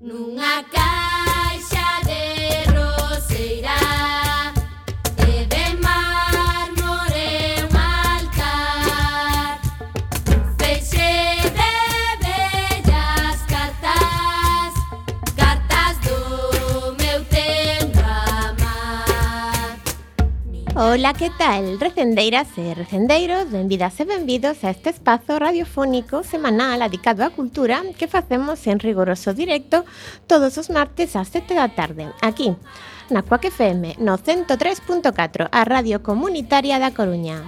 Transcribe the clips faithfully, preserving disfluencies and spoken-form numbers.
Nunha caixa de roseira e de mármore un altar, feixe de bellas cartas, cartas do meu tempo amar. Ola, que tal? Recendeiras e recendeiros, benvidas e benvidos a este espazo radiofónico semanal dedicado á cultura que facemos en rigoroso directo todos os martes ás sete da tarde, aquí, na Cuac F M, no ciento tres punto catro, a Radio Comunitaria da Coruña.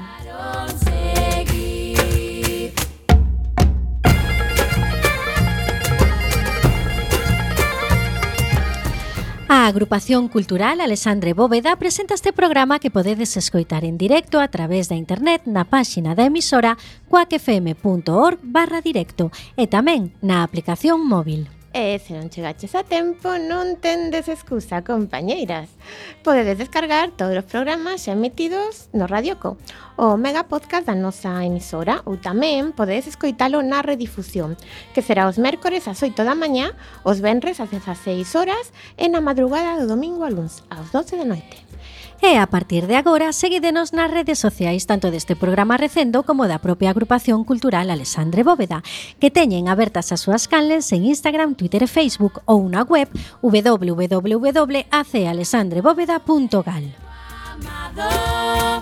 A Agrupación Cultural Alexandre Bóveda presenta este programa que podedes escoitar en directo a través da internet na páxina da emisora cuacfm.org barra directo e tamén na aplicación móvil. E se non chegaches a tempo, non tendes excusa, compañeiras. Podedes descargar todos os programas xa emitidos no Radioco, o mega podcast da nosa emisora, ou tamén podedes escoitalo na redifusión, que será os mércores ás oito da mañá, os venres ás dezaseis horas e na madrugada do domingo a luns ás doce da noite. E a partir de agora, seguídenos nas redes sociais tanto deste programa Recendo como da propia Agrupación Cultural Alexandre Bóveda, que teñen abertas as súas canles en Instagram, Twitter e Facebook ou na web w w w punto a c alexandre bóveda punto gal. Amado,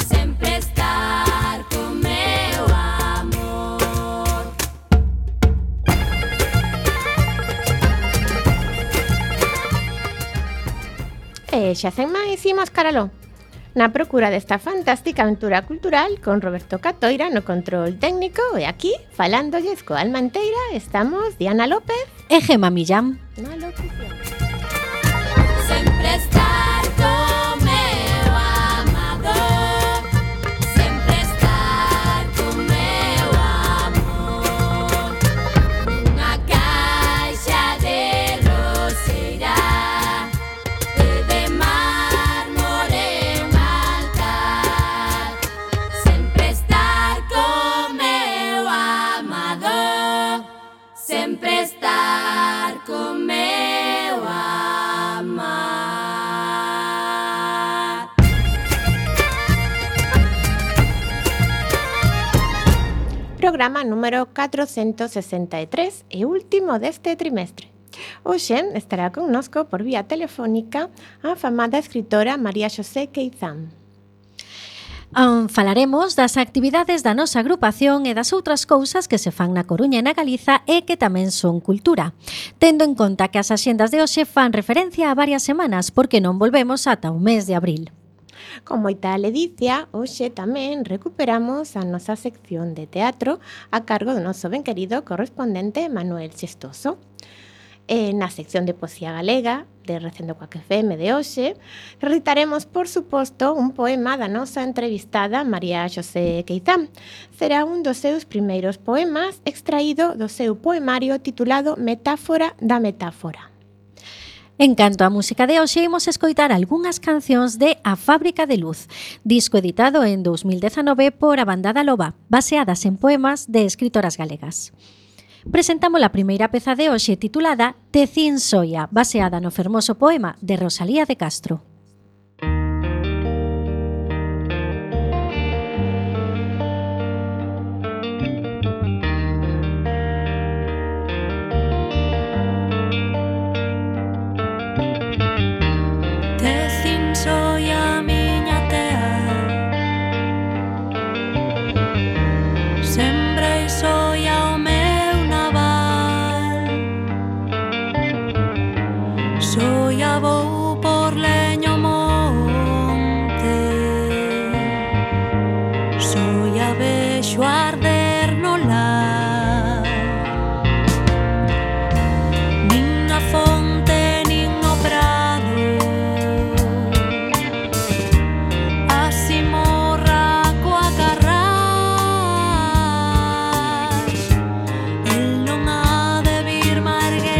sempre estar con meu amor. E xa sen máis, imos caraló. Na procura desta fantástica aventura cultural con Roberto Catoira no control técnico e aquí, falándolles coa alma enteira, estamos Diana López E Gema Millán. na locución. Sempre estar con meu amado, sempre estar con meu amor. Nunha caixa de roseira e de mármore un altar, sempre estar con meu amado, sempre estar con meu amar. Programa número catrocentos sesenta e tres e último deste trimestre. Hoxe estará connosco por vía telefónica a afamada escritora María Xosé Queizán. Um, falaremos das actividades da nosa agrupación e das outras cousas que se fan na Coruña e na Galiza e que tamén son cultura. Tendo en conta que as axendas de hoxe fan referencia a varias semanas porque non volvemos ata o mes de abril. Con moita ledicia, hoxe tamén recuperamos a nosa sección de teatro a cargo do noso ben querido correspondente Manuel Xestoso. E na sección de poesía galega de Recendo Cuac F M de hoxe, recitaremos, por suposto, un poema da nosa entrevistada María Xosé Queizán. Será un dos seus primeiros poemas extraído do seu poemario titulado Metáfora da Metáfora. En canto á música de hoxe, imos escoitar algunhas cancións de A Fábrica de Luz, disco editado en dos mil dezanove por a Banda da Loba, baseadas en poemas de escritoras galegas. Presentamos a primeira peza de hoxe titulada Tecín Soia, baseada no fermoso poema de Rosalía de Castro. Tecín soia miña tea, sembrei soia o meu naval, soia vou por leño monte, soia vexo arder no lar, nin a fonte nin o prado, así morra coa carrás, el non ha de vir marguer.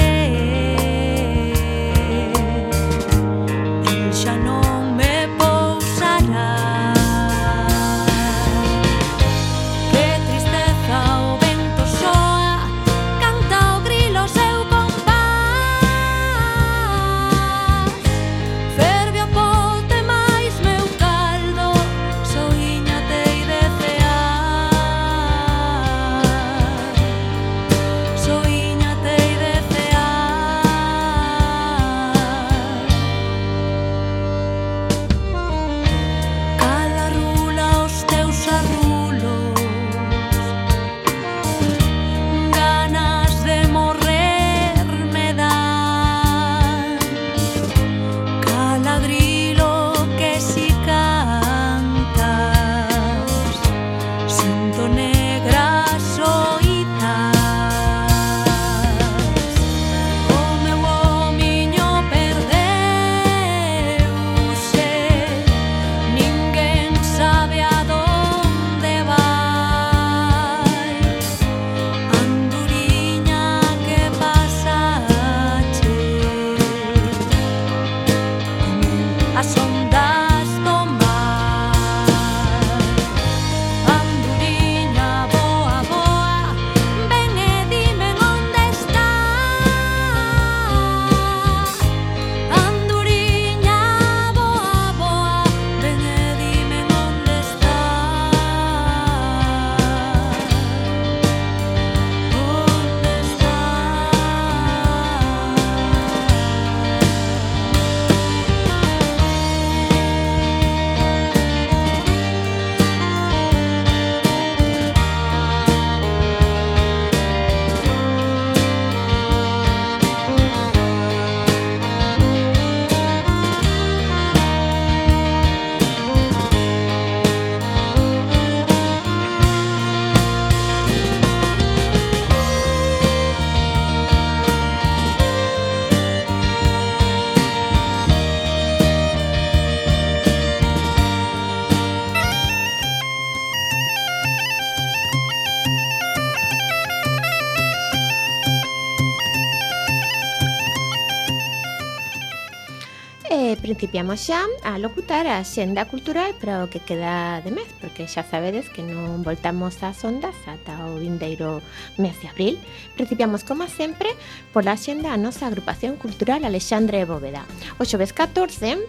E principiamos xa a locutar a xenda cultural para o que queda de mes, porque xa sabedes que non voltamos ás ondas ata o vindeiro mes de abril. Principiamos, como sempre, pola xenda a nosa agrupación cultural Alexandre Bóveda. O xoves catorce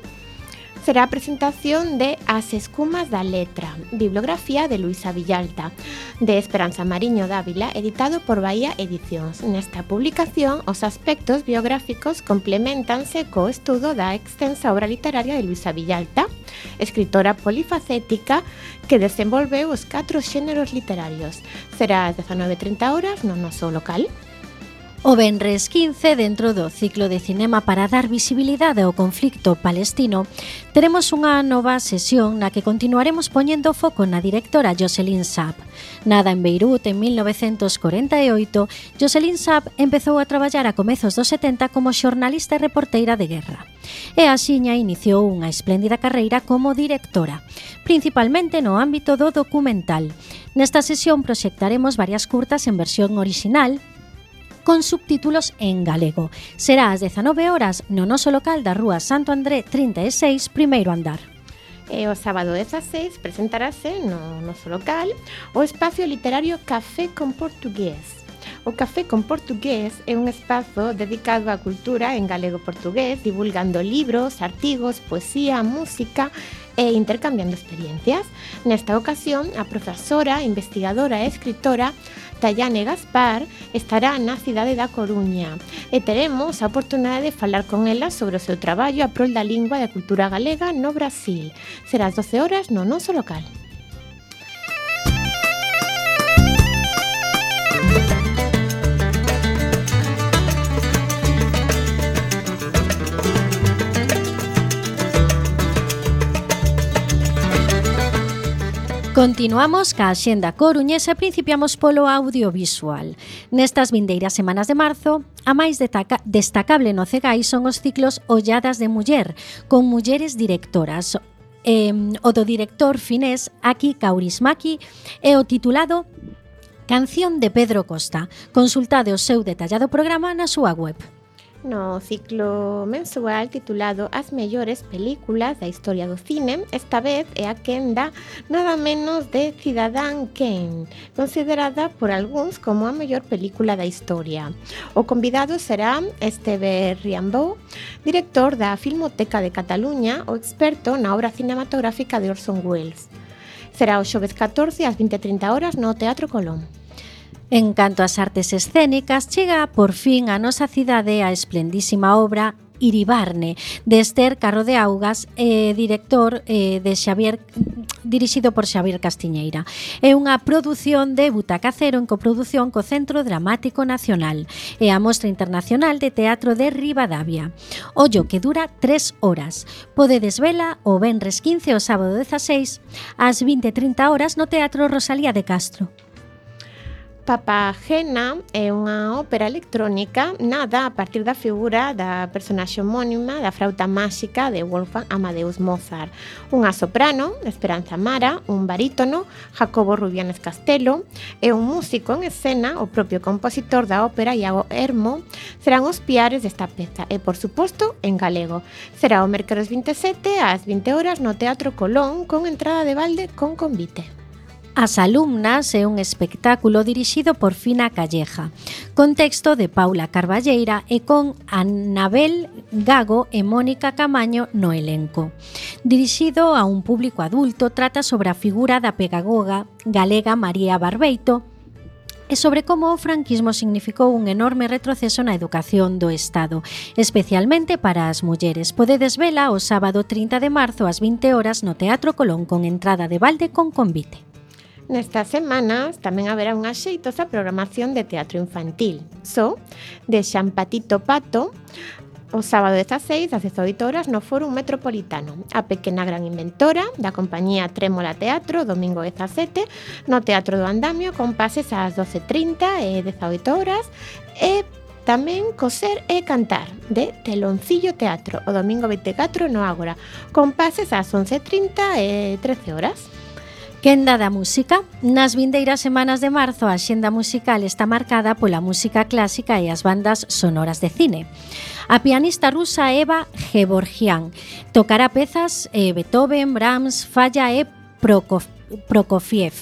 será a presentación de As escumas da letra, bibliografía de Luisa Villalta, de Esperanza Mariño Dávila, editado por Bahía Edicións. Nesta publicación, os aspectos biográficos complementanse co estudo da extensa obra literaria de Luisa Villalta, escritora polifacética que desenvolveu os catro xéneros literarios. Será ás dezanove e trinta horas no noso local. O venres quince, dentro do ciclo de cinema para dar visibilidade ao conflicto palestino, teremos unha nova sesión na que continuaremos poñendo foco na directora Jocelyn Saab. Nada en Beirut en mil novecentos corenta e oito, Jocelyn Saab empezou a traballar a comezos dos setenta como xornalista e reporteira de guerra. E axiña iniciou unha espléndida carreira como directora, principalmente no ámbito do documental. Nesta sesión proxectaremos varias curtas en versión orixinal, con subtítulos en galego. Será ás dezanove horas no noso local da Rúa Santo André trinta e seis, primeiro andar. E o sábado dezaseis presentarase no noso local o espacio literario Café con Portugués. O Café con Portugués é un espazo dedicado á cultura en galego-portugués, divulgando libros, artigos, poesía, música e intercambiando experiencias. Nesta ocasión, a profesora, investigadora e escritora Tayane Gaspar estará na cidade da Coruña e teremos a oportunidade de falar con ela sobre o seu traballo a prol da lingua e da cultura galega no Brasil. Será ás doce horas no noso local. Continuamos ca axenda coruñesa e principiamos polo audiovisual. Nestas vindeiras semanas de marzo, a máis destaca- destacable no Cegai son os ciclos Olladas de Muller, con mulleres directoras. Eh, o do director finés Aki Kaurismäki e o titulado Canción de Pedro Costa. Consultade o seu detallado programa na súa web. No ciclo mensual titulado As mellores películas da historia do cine, esta vez é a quenda nada menos de Cidadán Kane, considerada por algúns como a mellor película da historia. O convidado será Esteve Riambou, director da Filmoteca de Cataluña, o experto na obra cinematográfica de Orson Welles. Será o xoves catorce ás vinte e trinta horas no Teatro Colón. En canto ás artes escénicas, chega por fin a nosa cidade a esplendísima obra Iribarne, de Esther Carro de Augas, eh, director eh, de Xavier, dirixido por Xavier Castiñeira. É unha produción de Butaca Cero en coproducción co Centro Dramático Nacional e a Mostra Internacional de Teatro de Ribadavia. Ollo que dura tres horas. Podedes vela o venres quince o sábado dezaseis ás vinte e trinta horas no Teatro Rosalía de Castro. Papagena é unha ópera electrónica nada a partir da figura da personaxe homónima da frauta máxica de Wolfgang Amadeus Mozart. Unha soprano, Esperanza Mara, un barítono, Jacobo Rubianes Castelo, e un músico en escena, o propio compositor da ópera, Iago Hermo, serán os piares desta peza e, por suposto, en galego. Será o mércores vinte e sete ás vinte horas no Teatro Colón con entrada de balde con convite. As alumnas é un espectáculo dirixido por Fina Calleja, con texto de Paula Carballeira e con Anabel Gago e Mónica Camaño no elenco. Dirixido a un público adulto, trata sobre a figura da pedagoga galega María Barbeito e sobre como o franquismo significou un enorme retroceso na educación do Estado, especialmente para as mulleres. Podedes vela o sábado trinta de marzo ás vinte horas no Teatro Colón con entrada de balde con convite. Nestas semanas tamén haberá unha xeitosa programación de teatro infantil. So, de Xampatito Pato, o sábado dezaseis ás dezoito horas no Fórum Metropolitano. A pequena gran inventora da compañía Trémola Teatro, domingo dezasete, no Teatro do Andamio, con pases ás doce e trinta e dezaoito horas, e tamén Coser e Cantar, de Teloncillo Teatro, o domingo vinte e catro no Ágora, con pases ás once e trinta e trece horas. Quenda da música. Nas vindeiras semanas de marzo a axenda musical está marcada pola música clásica e as bandas sonoras de cine. A pianista rusa Eva Gevorgian tocará pezas eh, Beethoven, Brahms, Falla e Prokofiev. Prokofiev.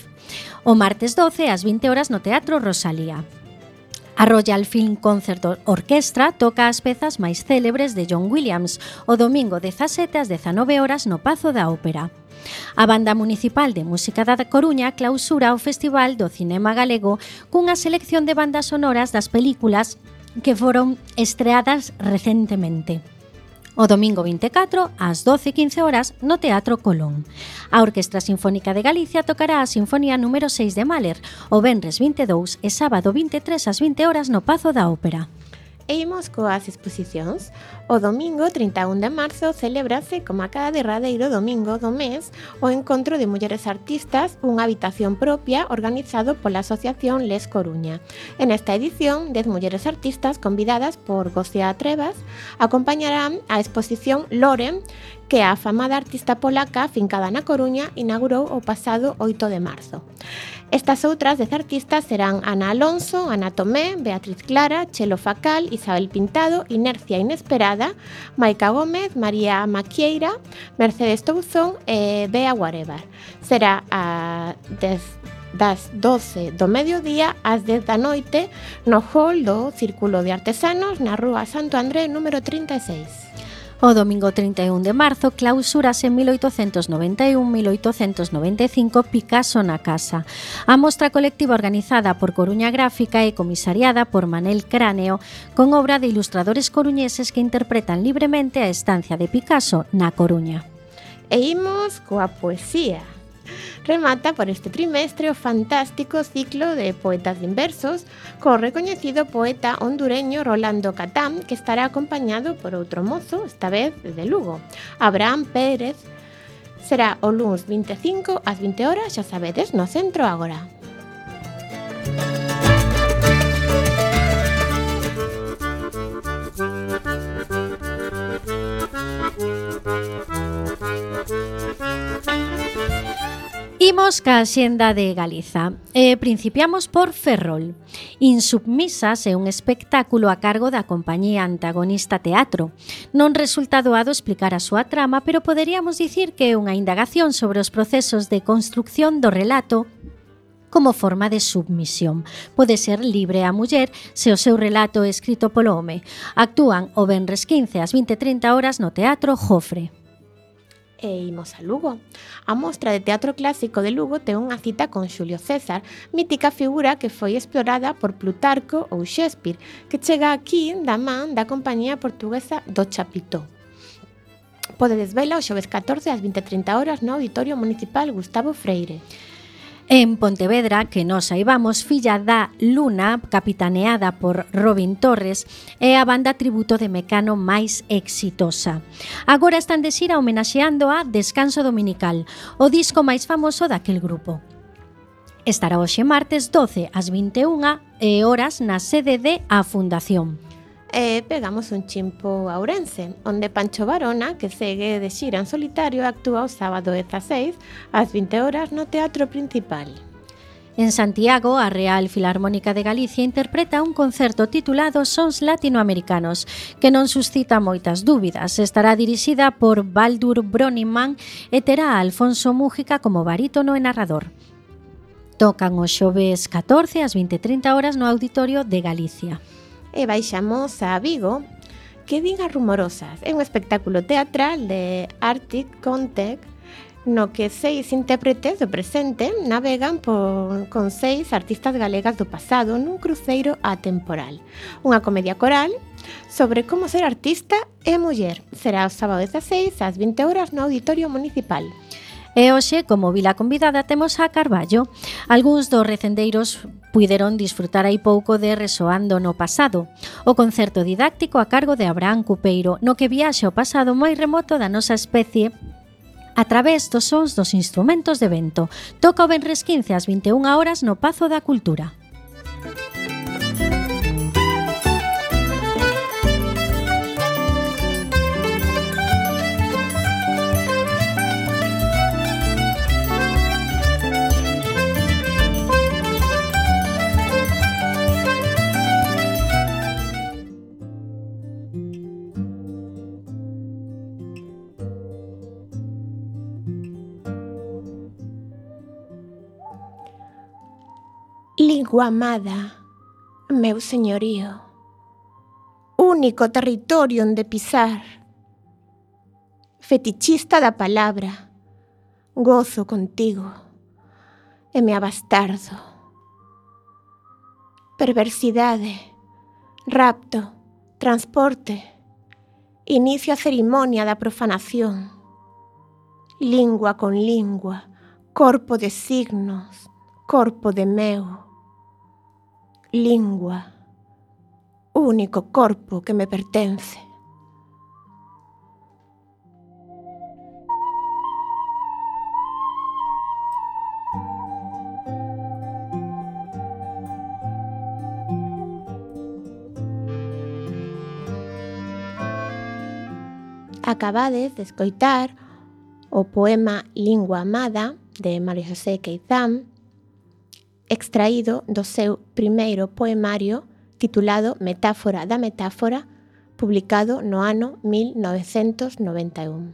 O martes doce ás vinte horas no Teatro Rosalía. A Royal Film Concert Orchestra toca as pezas máis célebres de John Williams o domingo dezasete ás dezanove horas no Pazo da Ópera. A Banda Municipal de Música da Coruña clausura o Festival do Cinema Galego cunha selección de bandas sonoras das películas que foron estreadas recentemente. O domingo vinte e catro, ás doce e quince horas, no Teatro Colón. A Orquestra Sinfónica de Galicia tocará a Sinfonía número seis de Mahler, o venres vinte e dous e sábado vinte e tres ás vinte horas no Pazo da Ópera. E imos coas exposicións. O domingo trinta e un de marzo celébrase, como a cada derradeiro domingo do mes, o Encontro de Mulleres Artistas, unha habitación propia organizado pola Asociación Les Coruña. En esta edición, dez mulleres artistas convidadas por Gocia Trevas acompañarán a exposición Lore, que a afamada artista polaca fincada na Coruña inaugurou o pasado oito de marzo. Estas outras dez artistas serán Ana Alonso, Ana Tomé, Beatriz Clara, Chelo Facal, Isabel Pintado, Inercia Inesperada, Maica Gómez, María Maquieira, Mercedes Touzón e Bea Whatever. Será a dez das doce do mediodía ás dez da noite no hall do Círculo de Artesanos na Rúa Santo André número trinta e seis. O domingo trinta e un de marzo clausúrase en mil oitocentos noventa e un a mil oitocentos noventa e cinco Picasso na Casa. A mostra colectiva organizada por Coruña Gráfica e comisariada por Manel Cráneo con obra de ilustradores coruñeses que interpretan libremente a estancia de Picasso na Coruña. E imos coa poesía. Remata por este trimestre o fantástico ciclo de poetas inversos co recoñecido poeta hondureño Rolando Catán, que estará acompañado por outro mozo, esta vez de Lugo, Abraham Pérez. Será o luns vinte e cinco ás vinte horas, xa sabedes, no Centro Ágora. Imos ca xenda de Galiza. Eh, principiamos por Ferrol. Insubmisas é un espectáculo a cargo da compañía Antagonista Teatro. Non resulta doado explicar a súa trama, pero poderíamos dicir que é unha indagación sobre os procesos de construcción do relato como forma de submisión. Pode ser libre a muller se o seu relato é escrito polo home. Actúan o venres quince ás vinte e trinta horas no Teatro Jofre. E imos a Lugo. A Mostra de Teatro Clásico de Lugo ten unha cita con Xulio César, mítica figura que foi explorada por Plutarco ou Shakespeare, que chega aquí da man da compañía portuguesa do Chapitó. Podedes vela o xoves catorce ás vinte e trinta horas no Auditorio Municipal Gustavo Freire. En Pontevedra, que nos saibamos, Filla da Luna, capitaneada por Robin Torres, é a banda tributo de Mecano máis exitosa. Agora están de xira homenaxeando a Descanso Dominical, o disco máis famoso daquel grupo. Estará hoxe martes doce ás vinte e unha horas na sede de A Fundación. E pegamos un chimpo a Ourense, onde Pancho Varona, que segue de xira en solitario, actúa o sábado dezaseis ás vinte horas no Teatro Principal. En Santiago, a Real Filarmónica de Galicia interpreta un concerto titulado Sons Latinoamericanos, que non suscita moitas dúbidas. Estará dirixida por Baldur Broniman e terá a Alfonso Mújica como barítono e narrador. Tocan o xoves catorce ás vinte e trinta horas no Auditorio de Galicia. E baixamos a Vigo, que din as rumorosas. É un espectáculo teatral de Arctic Contact no que seis intérpretes do presente navegan por, con seis artistas galegas do pasado nun cruceiro atemporal. Unha comedia coral sobre como ser artista e muller. Será o sábado dezaseis ás vinte horas no Auditorio Municipal. E hoxe, como vila convidada, temos a Carballo. Algúns dos recendeiros puideron disfrutar aí pouco de Resoando no Pasado, o concerto didáctico a cargo de Abraham Cupeiro, no que viaxe ao pasado moi remoto da nosa especie a través dos sons dos instrumentos de vento. Toca o venres quince ás vinte e unha horas no Pazo da Cultura. lingua amada, meu señorío, único territorio onde pisar, fetichista da palabra, gozo contigo, e me abastardo. Perversidade, rapto, transporte, inicio a cerimonia da profanación, lingua con lingua, corpo de signos, corpo de meu, lingua, único corpo que me pertence. Acabades de escoitar o poema Lingua Amada de María José Queizán, extraído do seu primeiro poemario titulado Metáfora da Metáfora, publicado no ano mil novecentos noventa e un.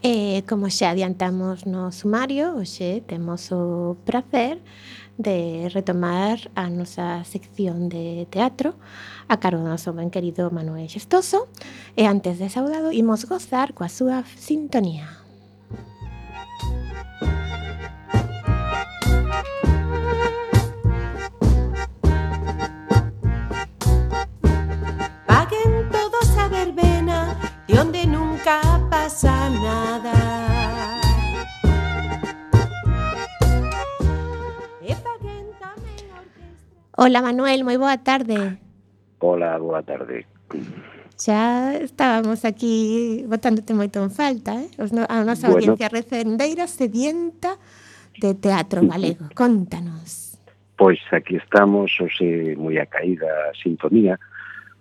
E como xa adiantamos no sumario, hoxe temos o prazer de retomar a nosa sección de teatro a cargo do noso ben querido Manuel Xestoso, e antes de saudado imos gozar coa súa sintonía. Paguen todos a verbena de onde nunca pasa nada. E paguen tamén a orquestra. Hola Manuel, moi boa tarde. Hola, boa tarde. Xa estábamos aquí botándote moito en falta, eh? Os no, a nosa Bueno. audiencia recendeira sedienta de teatro galego. Contanos. Pois aquí estamos, hoxe moi a caída a sintonía,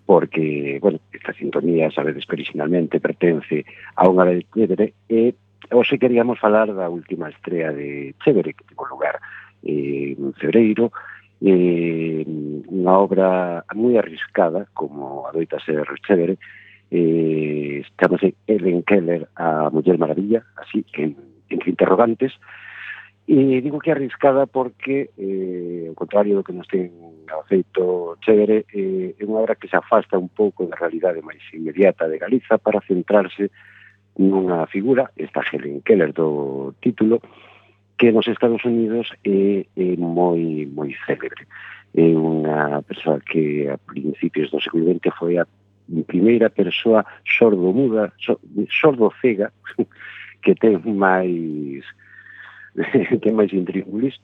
porque, bueno, esta sintonía, sabedes que originalmente pertence a unha de Chévere, e hoxe queríamos falar da última estrea de Chévere, que tivo lugar eh, en febreiro, eh, unha obra moi arriscada, como adoita ser Chévere, eh, chamase Helen Keller, a Muller Maravilla, así que entre interrogantes. E digo que arriscada porque, eh, ao contrario do que nos ten feito Chévere, eh, é unha obra que se afasta un pouco da realidade máis inmediata de Galiza para centrarse nunha figura, esta Helen Keller do título, que nos Estados Unidos é, é moi moi célebre. É unha persoa que a principios do século vinte foi a primeira persoa sordo-muda, sordo-cega, que ten máis que máis intríngulis.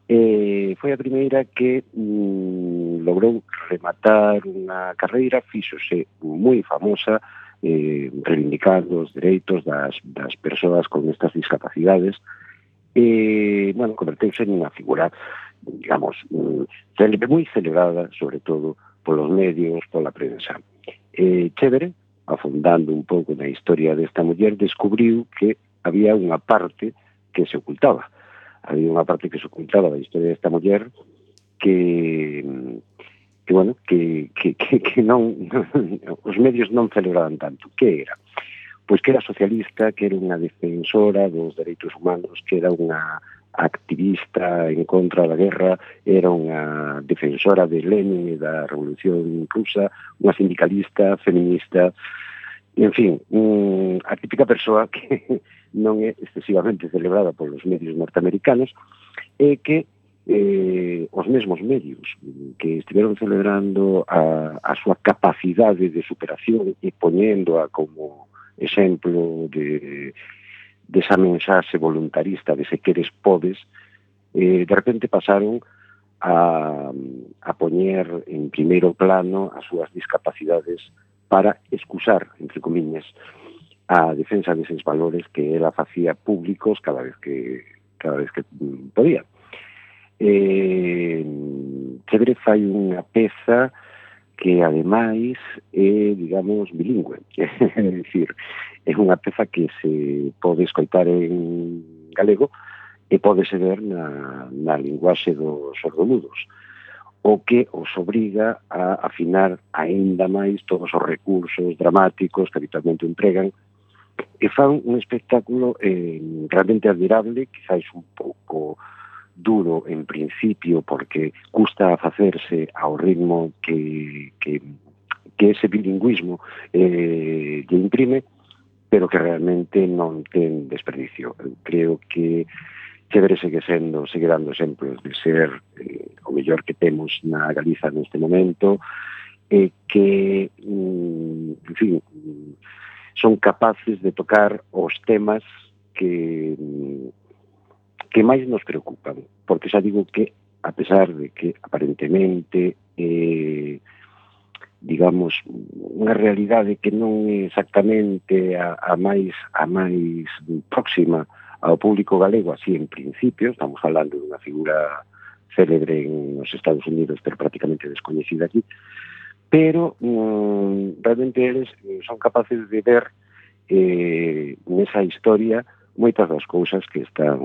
Eh, foi a primeira que mm, logrou rematar unha carreira, fíxose moi famosa, eh, reivindicando os dereitos das, das persoas con estas discapacidades. E, bueno, converteuse en unha figura, digamos, célebre, moi celebrada, sobre todo, polos medios, pola prensa. Eh, Chévere, afondando un pouco na historia desta muller, descubriu que había unha parte que se ocultaba. Había unha parte que se ocultaba da historia desta muller que, que bueno, que, que, que, que non os medios non celebraban tanto. Que era? Pois que era socialista, que era unha defensora dos dereitos humanos, que era unha activista en contra da guerra, era unha defensora de Lenin e da Revolución Rusa, unha sindicalista, feminista, e, en fin, un, a típica persoa que non é excesivamente celebrada polos medios norteamericanos e que eh, os mesmos medios que estiveron celebrando a, a súa capacidade de superación e poñéndoa como exemplo de desa mensaxe voluntarista de se queres podes, eh, de repente pasaron a, a poñer en primeiro plano as súas discapacidades para excusar, entre comillas, a defensa deses valores que ela facía públicos cada vez que cada vez que podía. Eh, Chévere fai unha peza que ademais é, digamos, bilingüe. É dicir, é unha peza que se pode escoitar en galego e pódese ver na, na linguaxe dos sordomudos, o que os obriga a afinar aínda máis todos os recursos dramáticos que habitualmente empregan e fan un espectáculo eh, realmente admirable, quizáis un pouco duro en principio porque custa facerse ao ritmo que, que, que ese bilingüismo eh, lle imprime, pero que realmente non ten desperdicio. Creo que Chévere segue sendo, segue dando exemplos de ser eh, o mellor que temos na Galiza neste momento, e que, mm, en fin, son capaces de tocar os temas que que máis nos preocupan, porque xa digo que, a pesar de que aparentemente eh, digamos, unha realidade que non é exactamente a, a máis a máis próxima ao público galego, así en principio, estamos falando dunha figura célebre en os Estados Unidos, pero prácticamente descoñecida aquí, pero mm, realmente eles son capaces de ver eh, nesa historia moitas das cousas que están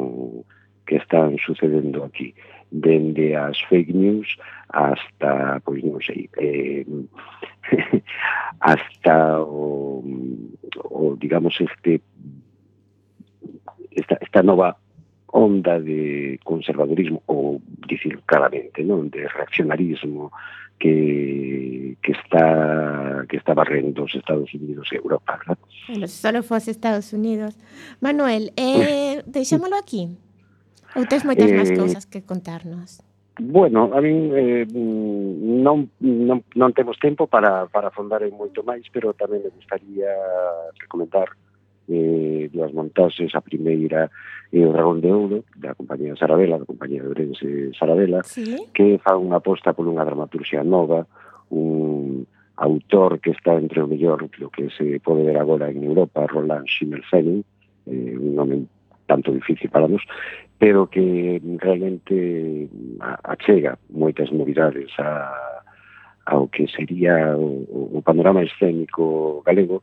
que están sucedendo aquí, dende as fake news hasta, pois non sei, eh, hasta o, o digamos este esta, esta nova onda de conservadorismo, ou dicir claramente, non, de reaccionarismo que, que está que está barrendo os Estados Unidos e Europa, ¿verdad? Bueno, se solo fose Estados Unidos. Manuel, eh, deixámolo aquí? Ou tes moitas eh, máis cousas que contarnos? Bueno, a min eh, non, non, non temos tempo para, para afondar en moito máis, pero tamén me gustaría recomendar eh, dúas montaxes. A primeira é o Dragón de Ouro, da compañía Sarabela, da compañía de Ourense Sarabela, ¿sí? Que fa unha aposta por unha dramaturxia nova, un autor que está entre o mellor do que se pode ver agora en Europa, Roland Schimmelfennig, eh, un nome tanto difícil para nós, pero que realmente achega moitas novidades a, ao que sería o, o panorama escénico galego.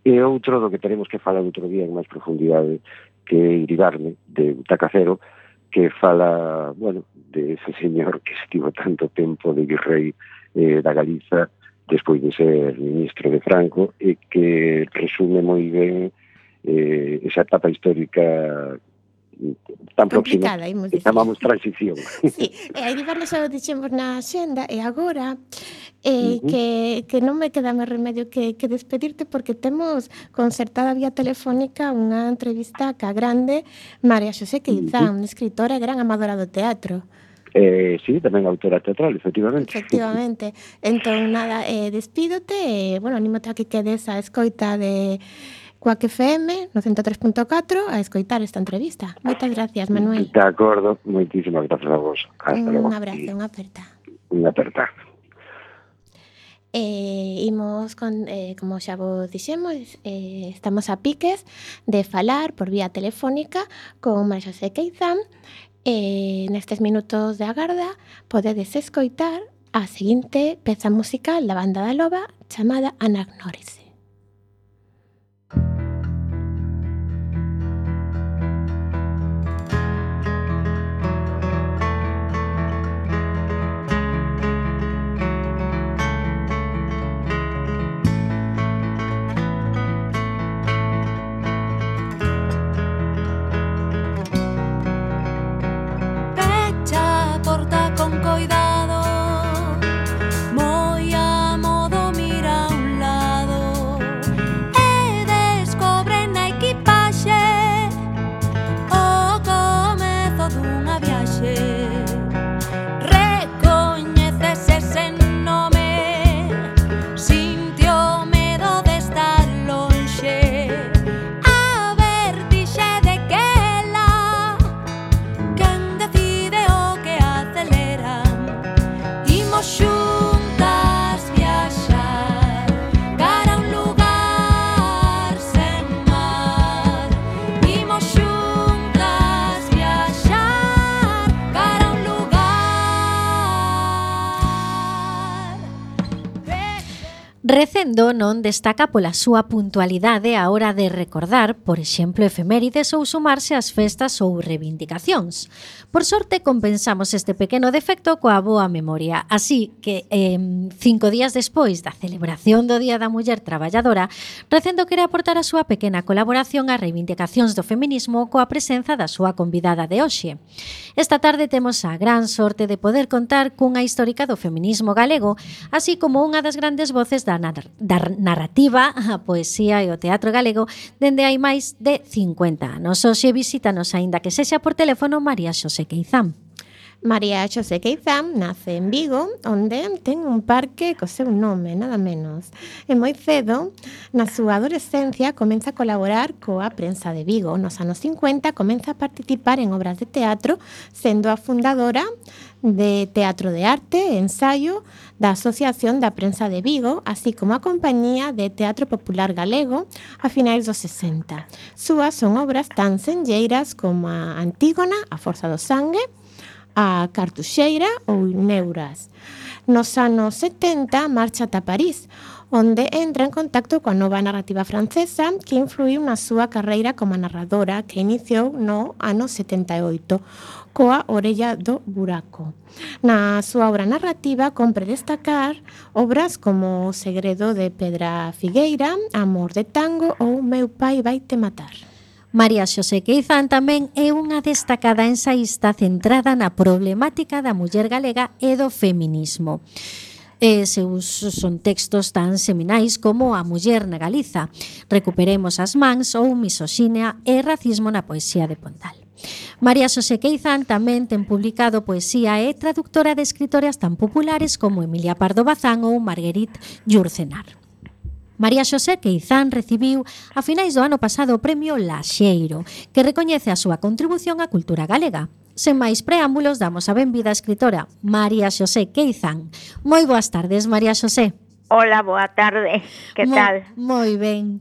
E outro do que teremos que falar outro día en máis profundidade, que é Iribarne, de Butaca Cero, que fala, bueno, de ese señor que estivo tanto tempo de virrei eh, da Galiza despois de ser ministro de Franco, e que resume moi ben eh, esa etapa histórica tan próxima que chamamos transición. Sí, e a Iribarne xa o dixemos na xenda, e agora eh, uh -huh. que, que non me queda máis remedio que, que despedirte, porque temos concertada vía telefónica unha entrevista ca grande María Xosé Queizán, uh -huh. unha escritora e gran amadora do teatro. Eh, sí, tamén autora teatral, efectivamente. Efectivamente. Entón, nada, eh, despídote e, bueno, anímote a que quedes a escoita de Cuac F M no ciento tres punto catro a escoitar esta entrevista. Moitas gracias, Manuel. De acordo, moitísimas gracias a vos. Hasta un logo. abrazo, unha aperta. Unha aperta. Eh, imos con, eh, como xa vos dixemos, eh, estamos a piques de falar por vía telefónica con María Xosé Queizán. Eh, nestes minutos de agarda podedes escoitar a seguinte peza musical da Banda da Loba chamada Anagnórese. Recendo non destaca pola súa puntualidade á hora de recordar, por exemplo, efemérides ou sumarse ás festas ou reivindicacións. Por sorte, compensamos este pequeno defecto coa boa memoria. Así que, eh, cinco días despois da celebración do Día da Muller Traballadora, Recendo quere aportar a súa pequena colaboración ás reivindicacións do feminismo coa presenza da súa convidada de hoxe. Esta tarde temos a gran sorte de poder contar cunha histórica do feminismo galego, así como unha das grandes voces da da narrativa, a poesía e o teatro galego dende hai máis de cincuenta anos. Hoxe visítanos, aínda que sexa por teléfono, María Xosé Queizán. María Xosé Queizán nace en Vigo, onde ten un parque co seu nome, nada menos. E moi cedo, na súa adolescencia, comeza a colaborar coa prensa de Vigo. Nos anos cincuenta comeza a participar en obras de teatro, sendo a fundadora de Teatro de Arte e Ensaio da Asociación da Prensa de Vigo, así como a Compañía de Teatro Popular Galego a finais dos sesenta. Súas son obras tan senlleiras como a Antígona, A Forza do Sangue, a Cartuxeira ou Neuras. Nos anos setenta marcha ata París, onde entra en contacto coa nova narrativa francesa que influiu na súa carreira como narradora que iniciou no ano setenta e oito, coa Orella do Buraco. Na súa obra narrativa compre destacar obras como O segredo de Pedra Figueira, Amor de tango ou Meu pai vaite matar. María Xosé Queizán tamén é unha destacada ensaísta centrada na problemática da muller galega e do feminismo. E seus son textos tan seminais como A muller na Galiza, Recuperemos as mans ou Misoxinia e racismo na poesía de Pondal. María Xosé Queizán tamén ten publicado poesía e traductora de escritoras tan populares como Emilia Pardo Bazán ou Marguerite Yourcenar. María Xosé Queizán recibiu a finais do ano pasado o premio Laxeiro, que recoñece a súa contribución á cultura galega. Sen máis preámbulos, damos a benvida á escritora María Xosé Queizán. Moi boas tardes, María Xosé. Hola, boa tarde. Que Mo, tal? Moi ben.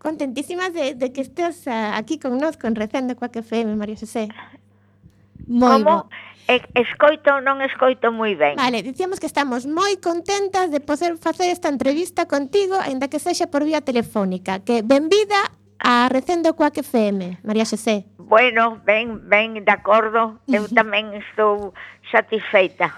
Contentísimas de, de que estés uh, aquí con nós, con Recendo Coac F M, María Xosé. Moi Como? bo. E, escoito, non escoito moi ben. Vale, dicíamos que estamos moi contentas de poder facer esta entrevista contigo, aínda que sexa por vía telefónica. Que benvida a Recendo Coac F M, María Xosé. Bueno, ben, ben, de acordo. Eu tamén estou satisfeita.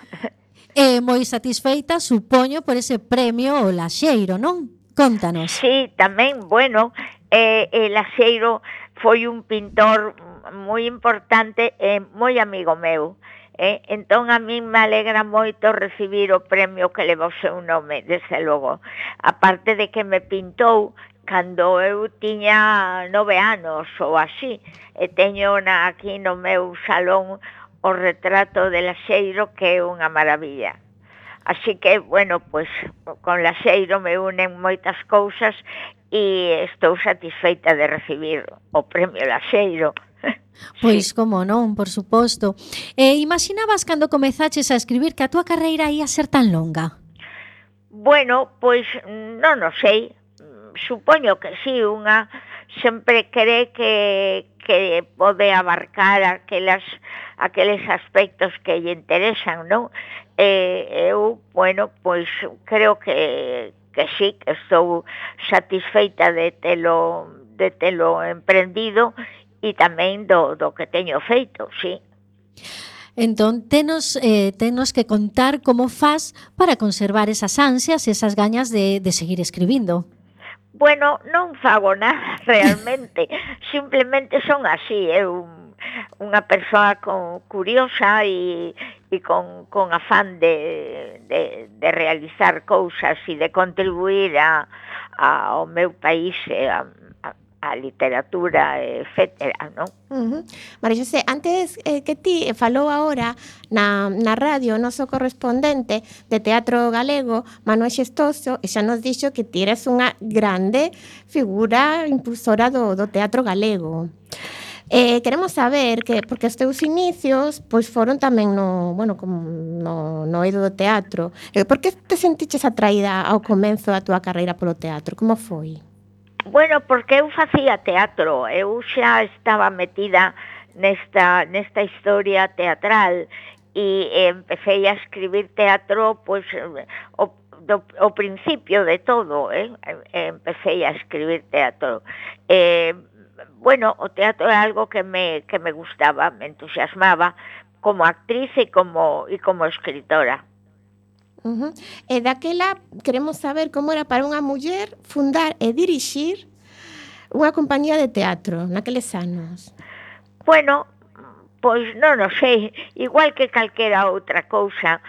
E moi satisfeita, supoño, por ese premio o Laxeiro, non? Contanos. Sí, tamén, bueno, eh, el Laxeiro foi un pintor moi importante e moi amigo meu. Eh, entón a min me alegra moito recibir o premio que leva o seu nome, desde logo. Aparte de que me pintou cando eu tiña nove anos ou así, e teño na, aquí no meu salón o retrato de Laxeiro, que é unha maravilla. Así que, bueno, pues con Laxeiro me unen moitas cousas e estou satisfeita de recibir o premio Laxeiro. Pois, como non, por suposto. E imaginabas cando comezaches a escribir que a túa carreira ia ser tan longa? Bueno, pois non o sei. Supoño que sí, unha sempre cree que, que pode abarcar aquelas, aqueles aspectos que lle interesan, non? E eu, bueno, pois creo que, que sí, que estou satisfeita de telo, de telo emprendido e tamén do, do que teño feito, sí. Entón, tenos, eh, tenos que contar como fas para conservar esas ansias, esas gañas de, de seguir escribindo. Bueno, non fago nada realmente, simplemente son así, eu unha persoa con, curiosa e, e con, con afán de, de, de realizar cousas e de contribuir a, a, ao meu país e a, a literatura, etcétera, non? Uh-huh. María Xosé, antes eh, que ti falou agora na, na radio o noso correspondente de teatro galego, Manuel Xestoso, e xa nos dixo que ti eres unha grande figura impulsora do, do teatro galego. Eh, queremos saber que, porque os teus inicios pois foron tamén no, bueno, como no, no eido do teatro. Eh, por que te sentiches atraída ao comenzo da túa carreira polo teatro? Como foi? Bueno, porque eu facía teatro, eu xa estaba metida nesta, nesta historia teatral e empecé a escribir teatro pois, o, do, o principio de todo, eh? Empecé a escribir teatro. Eh, bueno, o teatro é algo que me, que me gustaba, me entusiasmaba como actriz e como, e como escritora. Uh -huh. E daquela queremos saber como era para unha muller fundar e dirixir unha compañía de teatro naqueles anos. Bueno, pois non o sei, igual que calquera outra cousa.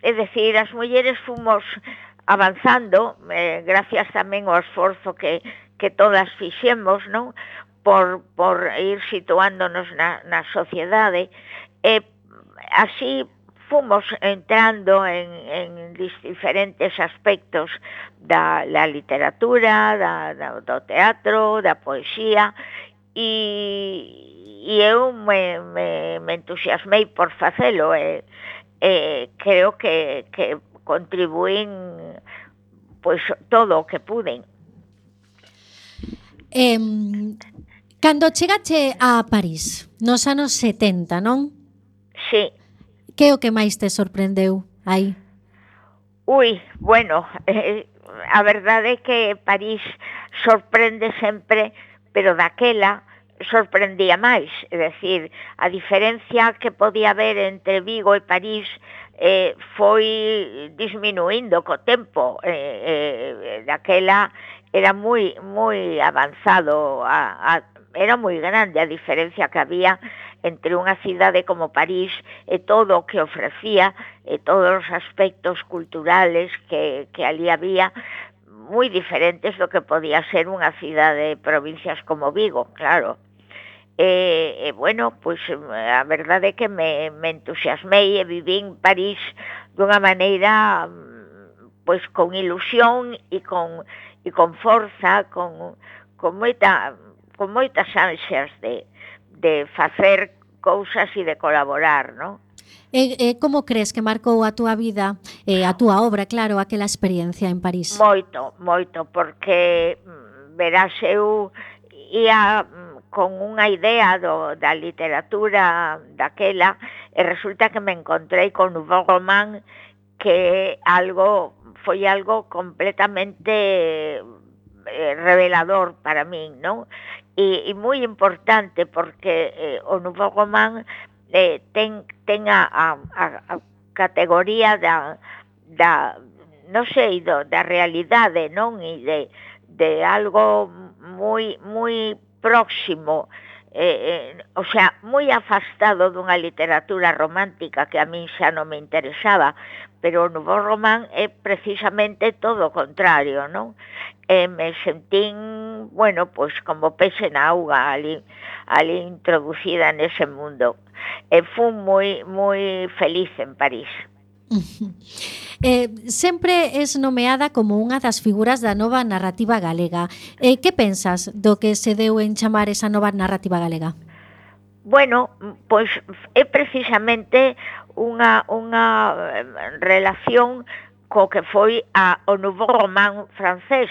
É dicir, as mulleres fomos avanzando, eh, gracias tamén ao esforzo que, que todas fixemos, non? Por, por ir situándonos na, na sociedade. E así fomos entrando en, en diferentes aspectos da la literatura, da, da, do teatro, da poesía, e, e eu me, me, me entusiasmei por facelo, e, e creo que, que contribuín pois todo o que puden. Eh, cando chegache a París, nos anos setenta, non? Sí. Que é o que máis te sorprendeu aí? Ui, bueno, eh, a verdade é que París sorprende sempre, pero daquela sorprendía máis. É dicir, a diferencia que podía haber entre Vigo e París eh, foi disminuindo co tempo. Eh, eh, daquela era moi moi avanzado, a, a, era moi grande a diferencia que había entre unha cidade como París e todo o que ofrecía e todos os aspectos culturales que, que ali había, moi diferentes do que podía ser unha cidade de provincias como Vigo, claro. E, e bueno, pois a verdade é que me, me entusiasmei e vivín París dunha maneira pois con ilusión e con, e con forza, con, con, moita, con moitas ansias de de facer cousas e de colaborar, non? E, e como crees que marcou a túa vida, e a túa obra, claro, aquela experiencia en París? Moito, moito, porque verás, eu ia con unha idea do, da literatura daquela e resulta que me encontrei con Nouveau Roman, que algo foi algo completamente revelador para min, non? E, e moi importante porque eh, o Nouveau Roman eh, ten, ten a, a, a categoría da, da non sei, do, da realidade, non? E de, de algo moi, moi próximo, eh, eh, o sea, moi afastado dunha literatura romántica que a min xa non me interesaba, pero o Nouveau Roman é precisamente todo o contrario, non? E me sentín, bueno, pois como peixe na auga ali, ali introducida nese mundo. E fui moi, moi feliz en París. Eh, sempre es nomeada como unha das figuras da nova narrativa galega. Eh, que pensas do que se deu en chamar esa nova narrativa galega? Bueno, pois é precisamente unha, unha relación co que foi a, o Nouveau Roman francés,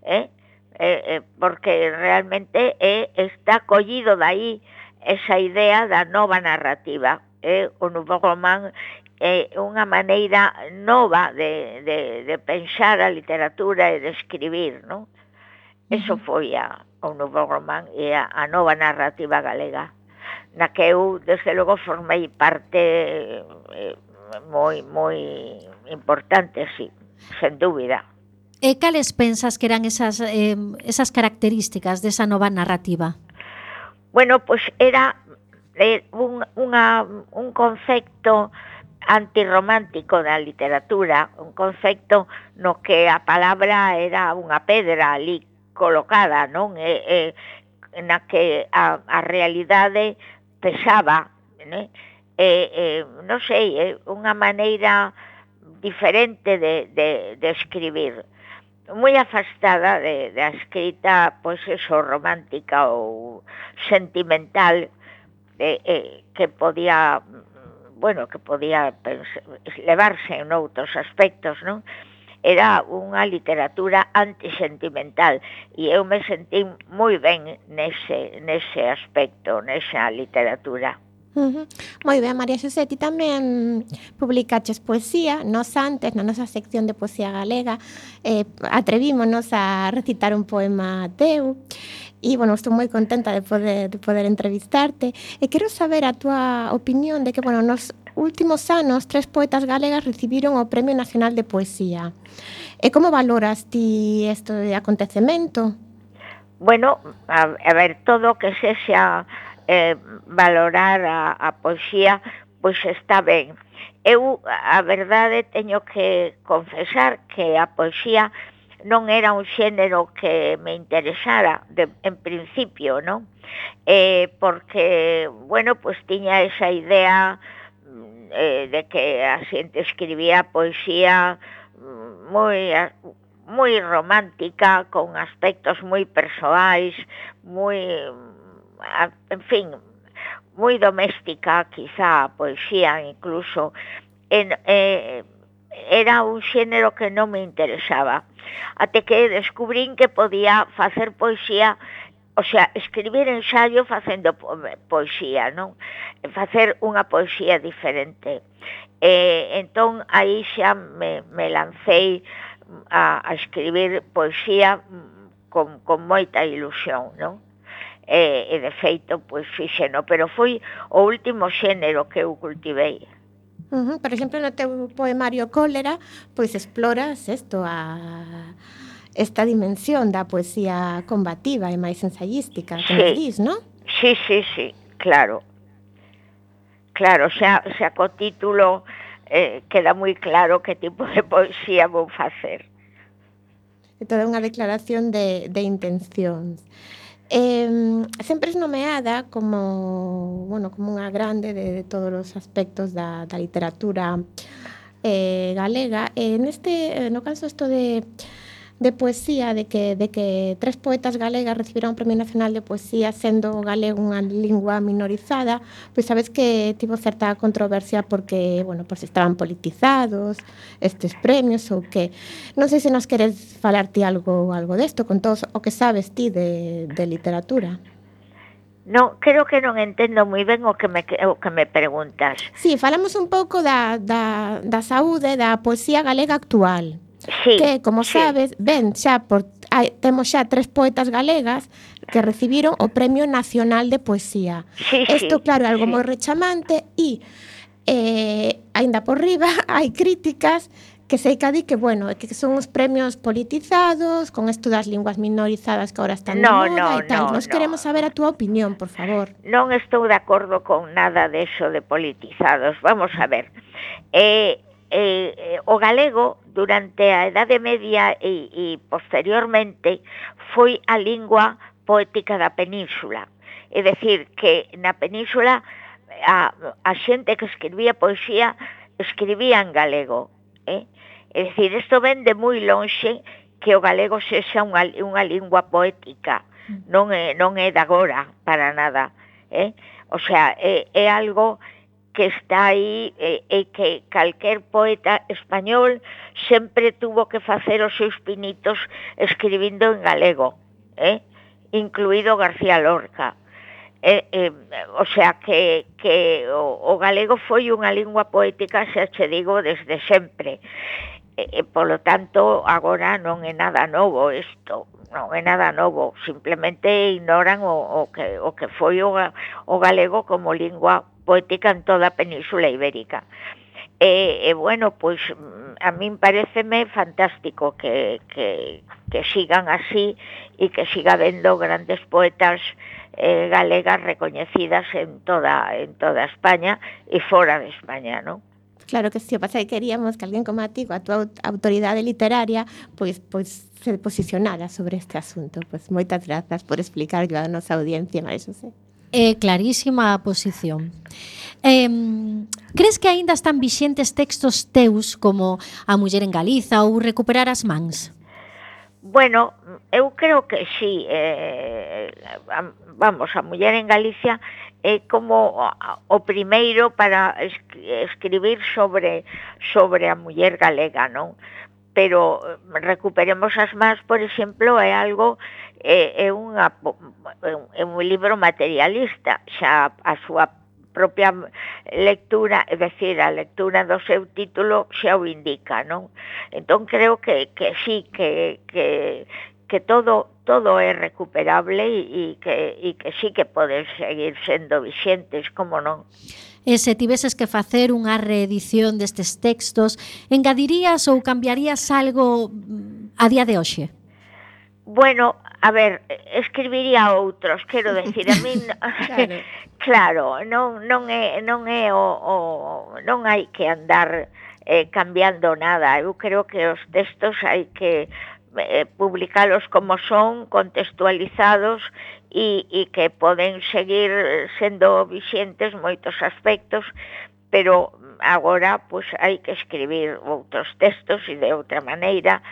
eh? Eh, eh, porque realmente eh, está collido dai esa idea da nova narrativa. Eh? O Nouveau Roman é eh, unha maneira nova de, de, de pensar a literatura e de escribir, non? Eso foi a, o Nouveau Roman e a, a nova narrativa galega, na que eu, desde logo, formei parte eh, moi, moi importante, sí, sen dúbida. E cales pensas que eran esas, eh, esas características desa nova narrativa? Bueno, pois pues era eh, un, unha, un concepto antirromántico da literatura, un concepto no que a palabra era unha pedra ali colocada, non? E, e, na que a, a realidade pesaba, né? E, e, non sei, é unha maneira diferente de, de, de escribir, moi afastada de, de a escrita, pois eso, romántica ou sentimental, de, eh, que podía, bueno, que podía pensar, levarse en outros aspectos, non? Era unha literatura antisentimental e eu me sentí moi ben nese, nese aspecto, nesa literatura. Uh-huh. Moi ben, María Xosé, ti tamén publicaches poesía. Nos antes, na nosa sección de poesía galega, eh, atrevímonos a recitar un poema teu. E, bueno, estou moi contenta de poder, de poder entrevistarte. E quero saber a túa opinión de que, bueno, nos últimos anos tres poetas galegas recibiron o Premio Nacional de Poesía. E como valoras ti este acontecemento? Bueno, a, a ver, todo o que sexa eh, valorar a, a poesía, pois está ben. Eu, a verdade, teño que confesar que a poesía non era un xénero que me interesara de, en principio, non? Eh, porque, bueno, pues tiña esa idea eh, de que a xente escribía poesía moi moi romántica, con aspectos moi persoais, moi, en fin, moi doméstica, quizá a poesía incluso. En, eh, era un xénero que non me interesaba, até que descubrín que podía facer poesía, o sea, escribir ensayo facendo po poesía, non? Facer unha poesía diferente. Eh, entón, aí xa me, me lancei a, a escribir poesía con, con moita ilusión, non? E, e de feito, pois fixeno, pero foi o último xénero que eu cultivei. Uh-huh. Por exemplo, no teu poemario Cólera, pois exploras isto, a esta dimensión da poesía combativa e máis ensayística, que sí. Nos dis, non? Sí, sí, sí, claro. Claro, xa, xa co título eh, queda moi claro que tipo de poesía vou facer. É toda unha declaración de, de intencións. Eh, sempre es nomeada como, bueno, como unha grande de, de todos os aspectos da, da literatura eh, galega. E neste, no caso isto de, de poesía, de que, de que tres poetas galegas recibiron o Premio Nacional de Poesía sendo o galego unha lingua minorizada, pois sabes que tivo certa controversia porque, bueno, por se estaban politizados estes premios ou que. Non sei se nos queres falar ti algo algo desto, con todo o que sabes ti de, de literatura. Non, creo que non entendo moi ben o que me, o que me preguntas. Sí, falamos un pouco da, da, da saúde da poesía galega actual. Sí, que, como sí. sabes, ben, xa por, hai, temos xa tres poetas galegas que recibiron o Premio Nacional de Poesía. Sí, Isto, sí, claro, é algo sí. moi rechamante e, eh, aínda por riba, hai críticas que sei que di que, bueno, que son os premios politizados, con isto das linguas minorizadas que agora están no, de moda no, e tal. no, Nos no. queremos saber a túa opinión, por favor. Non estou de acordo con nada de eso de politizados. Vamos a ver. Eh, eh, o galego durante a Edade Media e, e posteriormente foi a lingua poética da península. É dicir, que na península a, a xente que escribía poesía escribía en galego. Eh? É dicir, isto ven de moi lonxe que o galego sexa unha, unha lingua poética. Non é, non é de agora, para nada. Eh? O sea, é, é algo que está aí e, e que calquer poeta español sempre tuvo que facer os seus pinitos escribindo en galego, eh? Incluído García Lorca. Eh, eh, o sea, que, que o, o galego foi unha lingua poética, xa che digo, desde sempre. E, polo tanto, agora non é nada novo isto, non é nada novo, simplemente ignoran o, o, que, o que foi o, o galego como lingua poética en toda a Península Ibérica. E, e bueno, pois a min pareceme fantástico que, que, que sigan así e que siga habendo grandes poetas eh, galegas recoñecidas en toda, en toda España e fora de España, non? Claro que sí, o pasa que queríamos que alguén como a ti, a túa autoridade literaria, pois, pois se posicionara sobre este asunto. Pois moitas grazas por explicarlo a nosa audiencia, María Xosé. É clarísima a posición. Eh, crees que aínda están vixentes textos teus como A muller en Galiza ou Recuperar as mans? Bueno, eu creo que sí. Eh, vamos, A muller en Galicia é como o primeiro para escribir sobre sobre a muller galega, non? Pero Recuperemos as mans, por exemplo, é algo é, é, unha, é un libro materialista, xa a súa propia lectura, é dicir, a lectura do seu título xa o indica, non? Entón creo que, que sí, que, que, que todo todo é recuperable e que, e que sí que poden seguir sendo vixentes, como non? E se tiveses que facer unha reedición destes textos, engadirías ou cambiarías algo a día de hoxe? Bueno, a ver, escribiría outros, quero decir, a min claro, claro non, non é, non é o, o non hai que andar eh, cambiando nada. Eu creo que os textos hai que eh, publicalos como son, contextualizados e, e que poden seguir sendo vixentes moitos aspectos, pero agora pues, hai que escribir outros textos e de outra maneira.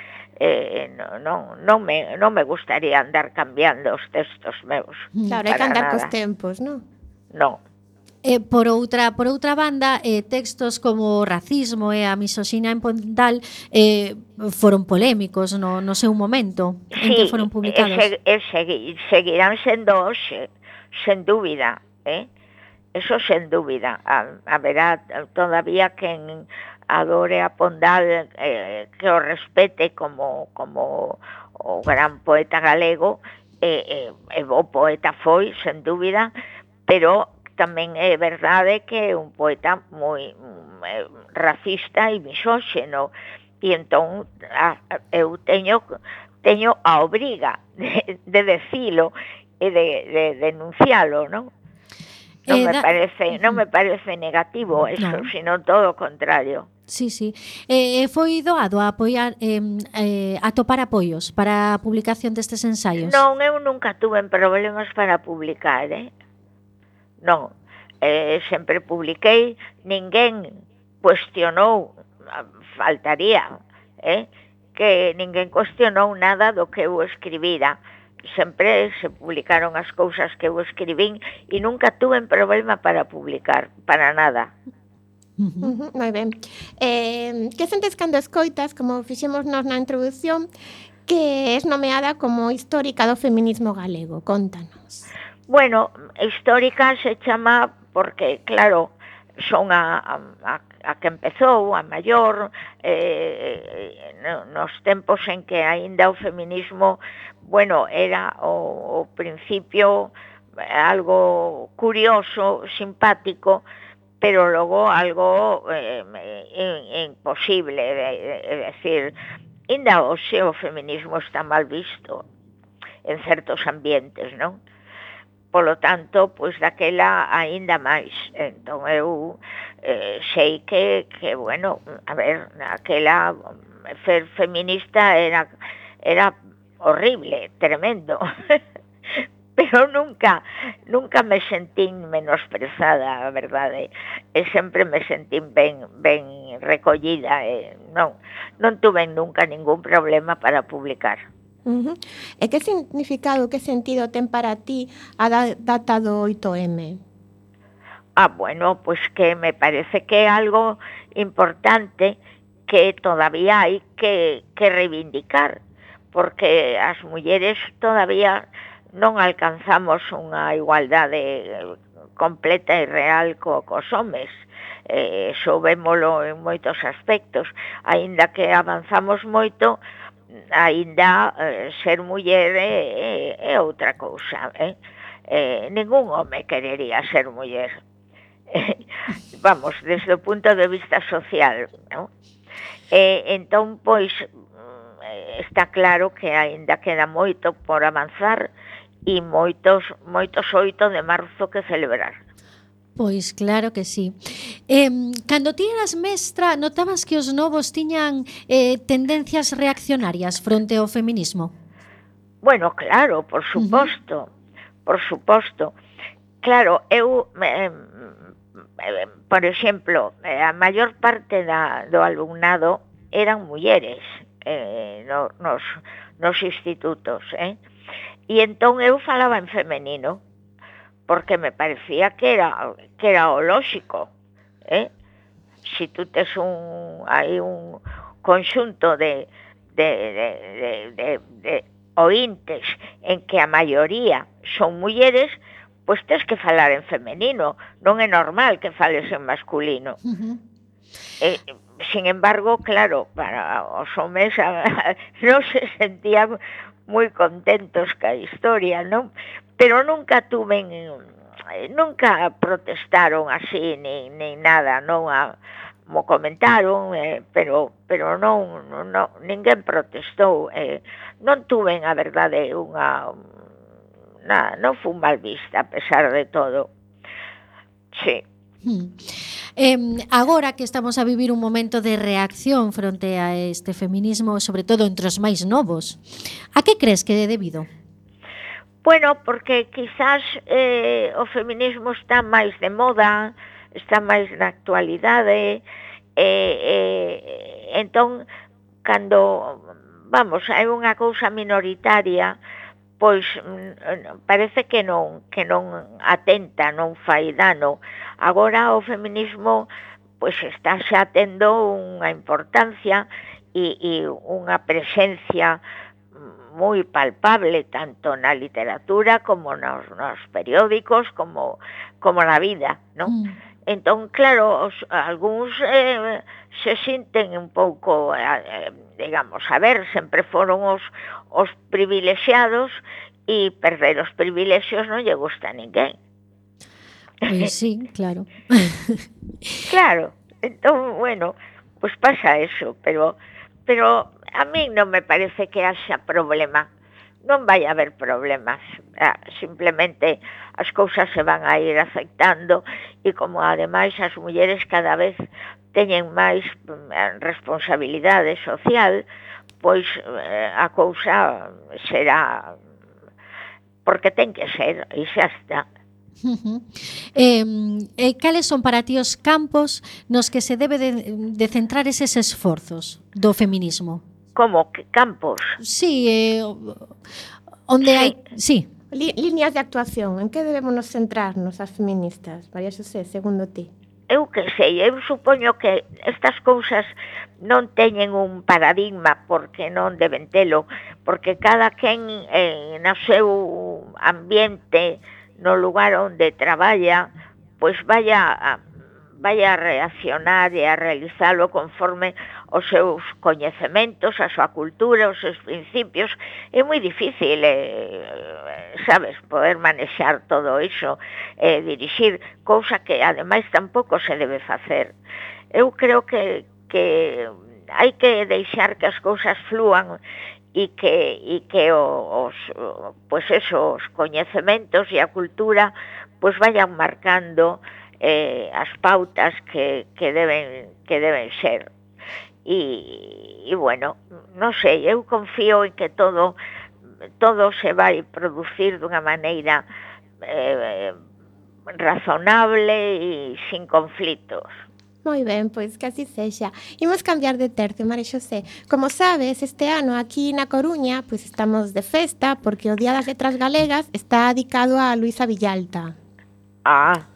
Eh, non, non, non, me, non me gustaría andar cambiando os textos meus. Claro, hai que andar cos tempos, non? Non. Eh, por outra por outra banda, eh, textos como o racismo e a misoxina en Pondal eh, foron polémicos no, no seu momento en sí, que foron publicados. Sí, e, segui, seguirán sendo hoxe, sen dúbida, eh? Eso sen dúbida. Haberá todavía quen adore a Pondal, eh, que o respete como, como o gran poeta galego, e eh, eh, o poeta foi, sen dúbida, pero tamén é verdade que é un poeta moi eh, racista e misóxeno, e entón a, eu teño teño a obriga de, de decilo e de, de denuncialo, non? Non eh, me da... parece, non me parece negativo eso, no. Sino todo o contrario. Sí, sí. Eh, foi doado a apoiar eh, eh, a topar apoios para a publicación destes ensaios? Non, eu nunca tuve problemas para publicar, eh? Non, eh, sempre publiquei, ninguén cuestionou, faltaría, eh? Que ninguén cuestionou nada do que eu escribira. Sempre se publicaron as cousas que eu escribín e nunca tuve problema para publicar, para nada. Uh-huh. Uh-huh, moi ben. Eh, que sentes cando escoitas, como fixemos nos na introdución, que es nomeada como histórica do feminismo galego? Contanos. Bueno, histórica se chama porque, claro, son a, a, a que empezou, a maior, eh, nos tempos en que aínda o feminismo, bueno, era o, o principio algo curioso, simpático, pero logo algo eh, imposible, é dicir, aínda hoxe o feminismo está mal visto en certos ambientes, non? Polo tanto, pois daquela aínda máis. Entón eu eh, sei que, que, bueno, a ver, aquela ser feminista era, era horrible, tremendo. Pero nunca, nunca me sentín menosprezada, a verdade. E sempre me sentín ben, ben recollida. E non, non tuve nunca ningún problema para publicar. Uh-huh. E que significado, que sentido ten para ti a data do oito eme? Ah, bueno, pues que me parece que é algo importante que todavía hai que, que reivindicar, porque as mulleres todavía non alcanzamos unha igualdade completa e real co, cos homes. Eh, soubémolo en moitos aspectos, aínda que avanzamos moito, aínda eh, ser muller é, é, é outra cousa, eh? Eh, ningún home querería ser muller, eh, vamos, desde o punto de vista social, ¿no? Eh, entón, pois, está claro que aínda queda moito por avanzar e moitos, moitos oito de marzo que celebrar. Pois claro que sí. Eh, cando ti eras mestra, notabas que os novos tiñan eh, tendencias reaccionarias fronte ao feminismo? Bueno, claro, por suposto, uh-huh. por suposto. Claro, eu, eh, eh, por exemplo, a maior parte da, do alumnado eran mulleres eh, no, nos, nos institutos, eh? E entón eu falaba en femenino, porque me parecía que era que era o lógico, eh? Si tú tes un hai un conxunto de de de de, de, de ointes en que a maioría son mulleres, pois tens que falar en femenino, non é normal que fales en masculino. Uh-huh. Eh, sin embargo, claro, para os homes non se sentían moi contentos ca historia, non? Pero nunca tuven, nunca protestaron así, ni, ni nada, non a, mo comentaron, eh, pero pero non, non ninguén protestou, eh, non tuven, a verdade, unha na, non fun mal vista a pesar de todo. Sí. Hmm. Eh, agora que estamos a vivir un momento de reacción fronte a este feminismo, sobre todo entre os máis novos, a que crees que é debido? Bueno, porque quizás eh, o feminismo está máis de moda, está máis na actualidade, eh, eh, entón, cando, vamos, hai unha cousa minoritaria, pois parece que non que non atenta, non fai dano. Agora o feminismo pois está xa tendo unha importancia e, e unha presencia moi palpable tanto na literatura como nos, nos periódicos como como na vida, non? Mm. Entón, claro, os, algúns eh, se sinten un pouco, eh, digamos, a ver, sempre foron os, os privilexiados e perder os privilexios non lle gusta a ninguén. Pois sí, claro. Claro, entón, bueno, pues pasa eso, pero, pero a mí non me parece que haxa problema. Non vai haber problemas, ah, simplemente as cousas se van a ir aceptando e como ademais as mulleres cada vez teñen máis responsabilidade social, pois eh, a cousa será porque ten que ser e xa está. Uh-huh. Eh, eh, cales son para ti os campos nos que se debe de, de centrar eses esforzos do feminismo? Como que campos? Sí, eh, onde sí. hai... Sí. Li, líneas de actuación, en que debemos nos centrarnos as feministas, María Xosé, segundo ti? Eu que sei, eu supoño que estas cousas non teñen un paradigma porque non deben telo, porque cada quen eh, no seu ambiente, no lugar onde traballa, pois vaya a, vaya a reaccionar e a realizalo conforme os seus coñecementos, a súa cultura, os seus principios. É moi difícil, eh, sabes, poder manexar todo iso, eh, dirixir, cousa que ademais tampouco se debe facer. Eu creo que, que hai que deixar que as cousas flúan e que, e que os, pues eso, os coñecementos e a cultura pues vayan marcando eh, as pautas que, que, deben, que deben ser. E, e bueno, non sei, eu confío en que todo todo se vai producir dunha maneira eh, razonable e sin conflitos. Moi ben, pois que así sexa. Imos cambiar de tercio, María Xosé. Como sabes, este ano aquí na Coruña pois estamos de festa porque o Día das Letras Galegas está dedicado a Luisa Villalta. Ah,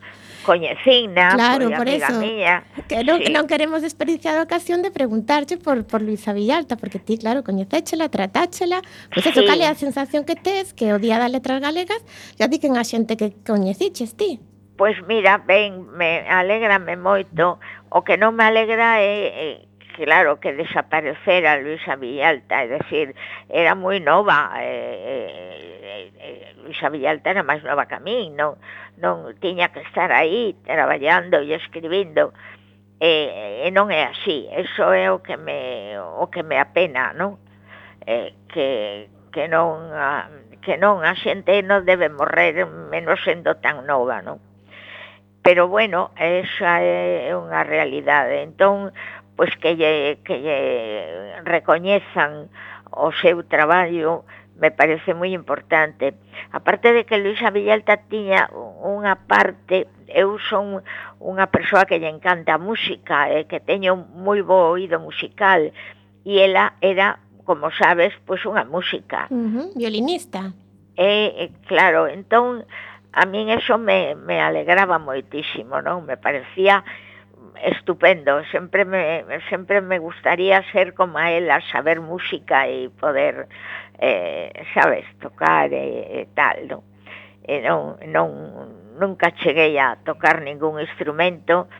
coñecina, claro, por amiga eso. Miña. Que non, sí. non queremos desperdiciar a ocasión de preguntarche por, por Luisa Villalta, porque ti, claro, coñecéchela, tratáchela, pois eso, sí. cal é a sensación que tes que o Día das Letras Galegas ya di que a xente que coñeciches ti? Pois mira, ben, me alégrame moito. O que non me alegra é, é claro, que desaparecera Luisa Villalta, é dicir, era moi nova, eh, eh, Luisa Villalta era máis nova que a mí, non, non tiña que estar aí traballando e escribindo, e, e non é así, eso é o que me, o que me apena, non? Eh, que, que non a, que non a xente non debe morrer menos sendo tan nova, non? Pero bueno, esa é unha realidade, entón, pois que lle, que lle recoñezan o seu traballo me parece moi importante. Aparte de que Luisa Villalta tiña unha parte, eu son unha persoa que lle encanta a música, eh, que teño moi bo oído musical, e ela era, como sabes, pois unha música. Uh-huh, violinista. E, claro, entón, a min eso me, me alegraba moitísimo, non? Me parecía estupendo, sempre me, sempre me gustaría ser como a ela, saber música e poder, eh, sabes, tocar e, e tal, non? e non, non, nunca cheguei a tocar ningún instrumento,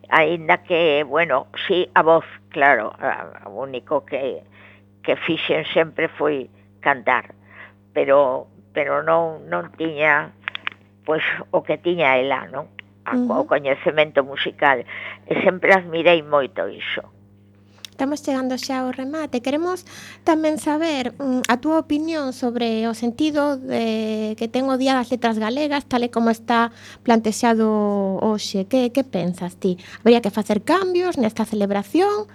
aínda que, bueno, sí, a voz, claro, o único que, que fixen sempre foi cantar, pero pero non non tiña pois o que tiña ela, non? Uh-huh. O coñecemento musical, e sempre admirei moito iso. Estamos chegando xa ao remate. Queremos tamén saber mm, a túa opinión sobre o sentido de que ten o Día das Letras Galegas, tal e como está plantexado hoxe. Que, que pensas ti? Habría que facer cambios nesta celebración?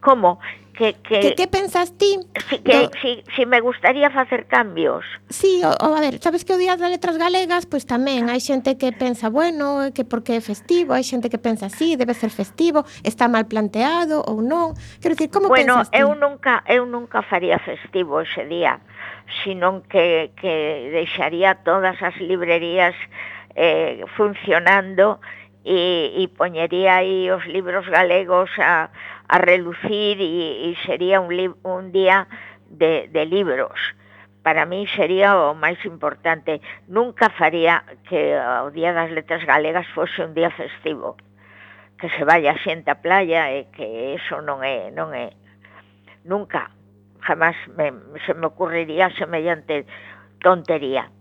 Como? Que, que, que, que pensas ti? Si, que, do... si, si me gustaría facer cambios. Sí, o, o a ver, sabes que o Día das Letras Galegas, pois tamén hai xente que pensa, bueno, que porque é festivo, hai xente que pensa así, debe ser festivo, está mal planteado ou non. Quero dicir, como bueno, pensas ti? Bueno, eu nunca, eu nunca faría festivo ese día, sino que, que deixaría todas as librerías eh, funcionando e, e poñería aí os libros galegos a a relucir e, e sería un, li, un día de, de libros. Para mí sería o máis importante. Nunca faría que o Día das Letras Galegas fose un día festivo, que se vaya xente á playa e que eso non é, non é. Nunca, jamás me, se me ocurriría semellante tontería.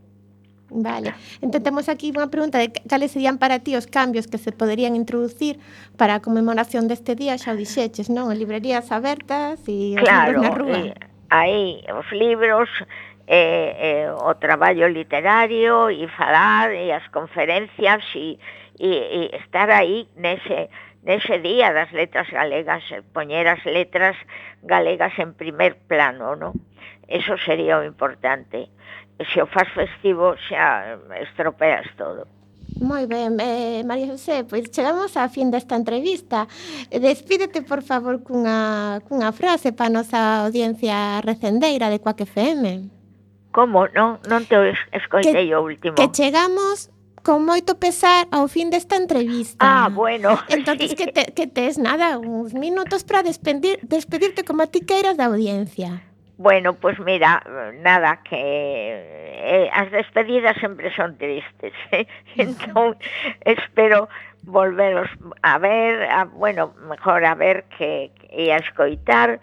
Vale, entón temos aquí unha pregunta de cales serían para ti os cambios que se poderían introducir para a conmemoración deste día, xa o dixeches, non? En librerías abertas e os claro, libros na rúa. Eh, aí os libros, eh, eh, o traballo literario e falar e as conferencias e, e, e estar aí nese, nese día das letras galegas, poñer as letras galegas en primer plano, non? Eso sería o importante. Se o faz festivo xa estropeas todo. Moi ben, eh, María José, pois chegamos á fin desta entrevista. Despídete, por favor, cunha, cunha frase para a nosa audiencia recendeira de Quack F M. Como? Non, non te escoitei o último. Que chegamos con moito pesar ao fin desta entrevista. Ah, bueno. Entonces, sí. que, te, que tes nada, uns minutos para despedir, despedirte como a ti queiras da audiencia. Bueno, pues mira, nada, que eh, as despedidas sempre son tristes, ¿eh? Entón, espero volveros a ver, a, bueno, mejor a ver que, que a escoitar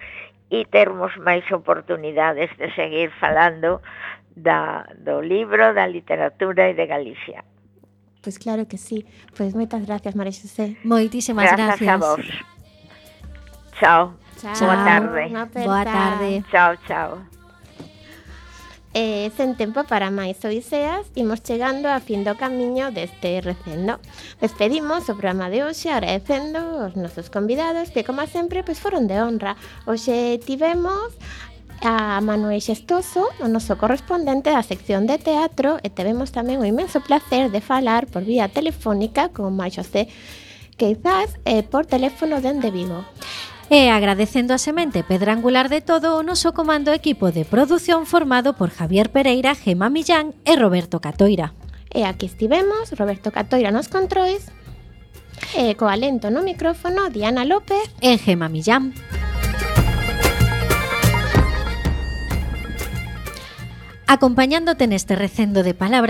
e termos máis oportunidades de seguir falando da, do libro, da literatura e de Galicia. Pois claro que sí. Pois moitas gracias, María José. Moitísimas gracias. Gracias a vos. Chao. Chao. Boa tarde. Boa tarde. Chao, chao. Eh, sen tempo para máis odiseas, imos chegando a fin do camiño deste recendo. Despedimos o programa de hoxe agradecendo os nosos convidados que, como sempre, pois foron de honra. Hoxe tivemos a Manuel Xestoso, o noso correspondente da sección de teatro, e tivemos tamén o inmenso placer de falar por vía telefónica con María José Queizás eh, por teléfono dende Vigo. E agradecendo a semente pedra angular de todo o noso comando equipo de produción formado por Javier Pereira, Gema Millán e Roberto Catoira. E aquí estivemos, Roberto Catoira nos controis, e co alento no micrófono Diana López e Gema Millán. Acompañándote neste recendo de palabras